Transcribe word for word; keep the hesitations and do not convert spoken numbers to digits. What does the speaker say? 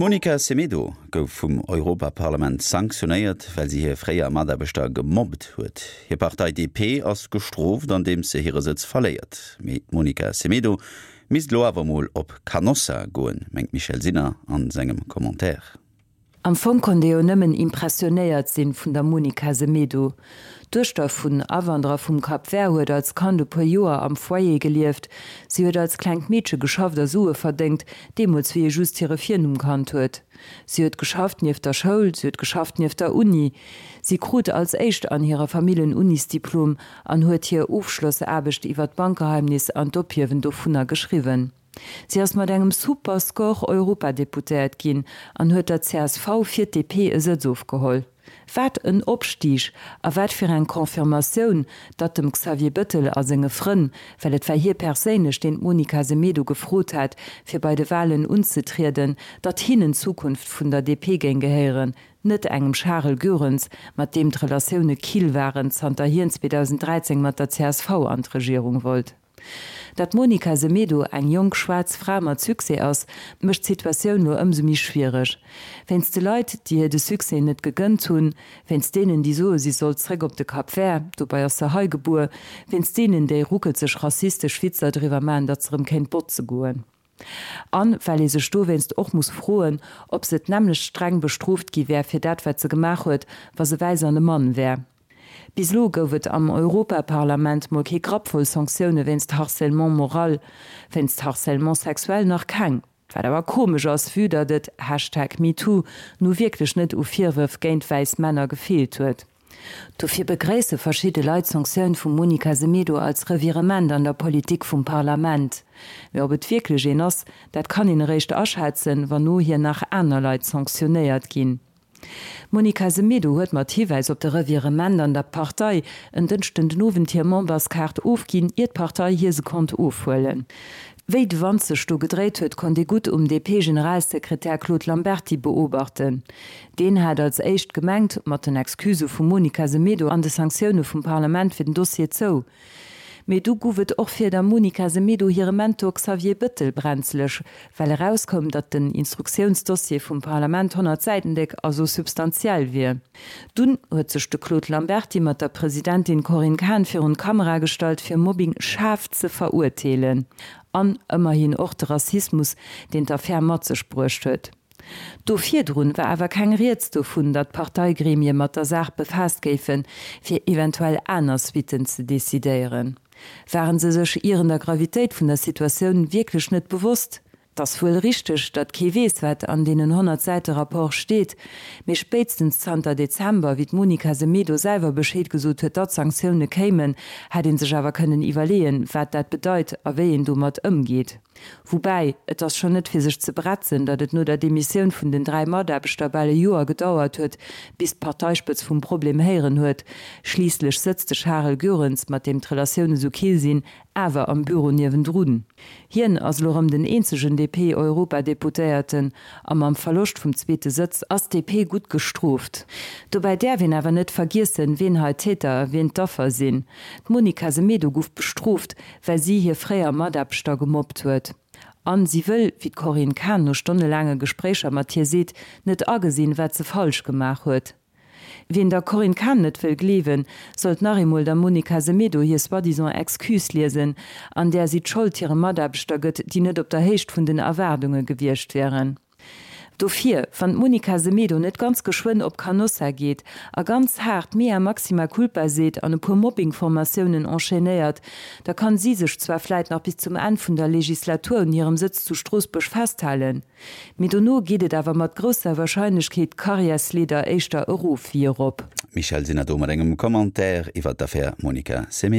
D'Monica Semedo gouf vum Europaparlament sanktionéiert, well si hir fréier Mataarbechter gemobbt huet. Hir Partei D P ass gestrooft, andeems se hire Sëtz verléiert. Mee d'Monica Semedo misst lo awer mol op Canossa goen, mengt d'Michèle Sinner an sengem Commentaire. Am Fong konnt ee jo nëmmen impressionéiert sinn vun der Monica Semedo. D'Duechter vun Awanderer vum Cap Vert huet als Kand e puer Joer am Foyer gelieft. Si huet als klengt Meedche geschafft a Sue verdéngt, deemools wéi ee just hire Virnumm kannt huet. Si huet geschafft nieft der Schoul, si huet geschafft nieft der Uni. Si krut als éischt an hirer Famill en Unisdiplom an huet hir Ofschlossaarbecht iwwer d'Bankgeheimnis an d'Ophiewen dovunner geschriwwen. Si ass mat engem super Score Europadeputéiert ginn an huet der C S V fir d'D P e Sëtz ofgeholl. Wat en Opstig a wat fir eng Confirmatioun, datt dem Xavier Bëttel a senge Frënn, well et war hie perséinlech, deen d'Monica Semedo gefrot hat, fir bei de Walen unzetrieden, datt hinnen d'Zukunft vun der D P géing gehéieren, net engem Charel Goerens, mat deem d'Relatioune kill waren, zanter hien zweedausend dräizéng mat der C S V an d'Regierung wollt. Datt d'Monica Semedo eng jonk schwaarz Fra mat Succès ass, mécht d'Situatioun lo ëmsou méi schwiereg. Wéinst de Leit, déi hir de Succès net gegënnt hunn, wéinst deenen, déi soe si soll zréck op de Cap Vert, dobäi ass se hei gebuer, wéinst deenen, déi ruckelzeg rassistesch Witzer driwwer maachen, datt se erëm kéint botze goen. An well ee sech dowéinst och muss froen, ob se d'nämmlecht streng bestrooft gi wär fir dat wat se gemaach huet, wa se wäiss an e Mann wär. Bis lo gouf et am Europaparlament mol kee Grapp voll Sanktioune wéinst Harcèlement moral, wéinst Harcèlement sexuel nach keng. Wat awer komesch ass, vue datt et Hashtag MeToo nu wierklech net u Virwërf géint wäiss Männer gefeelt huet. Dofir begréisse verschidde Leit d'Sanktioun vum Monica Semedo als Revirement an der Politik vum Parlament. Mee ob et wierklech een ass, dat kann een eréischt aschätzen, wann no hir nach aner Leit sanktionéiert ginn. D'Monica Semedo huet mat Hiwäis op de Revirement an der Partei en Dënschden den Owend hir Memberskaart ofginn, ier d'Partei hir se konnt ofhuelen. Wéi de Wand sech do gedréit huet, konnt ee gutt um D P-Generalsekretär Claude Lamberty beobachten. Deen hat als éischt gemengt, mat den Excusë vum Monica Semedo an de Sanktioune vum Parlament wier den Dossier zou. Mee du gouf et och fir der Monica Semedo hire Mentor Xavier Bëttel brenzeleg, well erauskoum, datt den Instruktiounsdossier vum Parlament honnert Säiten déck a sou substantiell wier. Dunn huet sech de Claude Lamberty mat der Presidentin Corinne Cahen virun d'Kamera gestallt, fir Mobbing schaarf ze verurteelen. An ëmmerhin och de Rassismus, deen d'Affär mat sech bruecht huet. Do virdrun war awer keng Rieds dovun, datt d'Parteigremie mat der Saach befaasst géifen, fir eventuell aner Suitten ze decidéieren. Waren se sech ieren der Gravitéit vun der Situatioun wierklech net bewosst? 't ass wuel richteg, datt kee weess, wat an deenen honnert Säite Rapport steet, mee spéitstens zanter Dezember, wéi d'Monica Semedo selwer Bescheed gesot huet, datt Sanktioune kéimen, hätt ee sech awer kënnen iwwerleeën, wat dat bedeit a wéi een domat ëmgeet. Woubäi, et ass schonn net fir sech ze bretzen, datt et no der Demissioun vun den dräi Mataarbechter bal e Joer gedauert huet, bis d'Parteispëtz vum Problem héieren huet. Schliisslech sëtzt de Charel Goerens, mat deem d'Relatioune sou kill sinn, awer am Büro niewendrun. Hien ass elo rëm den eenzegen D P-Europadeputéierten a mam Verloscht vum zweete Sëtz ass d'D P gutt gestrooft. Dobäi däerf een awer net vergiessen, wien hei d'Täter a wien d'Affer sinn. D'Monica Semedo gouf bestrooft, well si hir fréier Mataarbechter gemobbt huet. An si wëll, wéi d'Corinne Cahen no stonnelaange Gespréicher mat hir seet, net agesinn, wat se falsch gemaach huet. Wien der Corinne Cahen net wëll gleewen, sollt nach eemol der Monica Semedo hir soi-disant Excuse liesen, an där si d'Schold hire Mataarbechter gëtt, déi net op der Héicht vun den Erwaardunge gewiescht wieren. Dofir, wann d'Monica Semedo net ganz geschwënn op Canossa geet a ganz haart mea maxima culpa seet an e puer Mobbing-Formatiounen enchaînéiert, da kann si sech zwar vläit nach bis zum Enn vun der Legislatur un hirem Sëtz zu Stroossbuerg festhalen, mee dono geet et awer mat grousser Warscheinlechkeet d'Karriärsleeder éischter erof wéi erop. Michèle Sinner do mat engem Commentaire iwwer d'Affär Monica Semedo.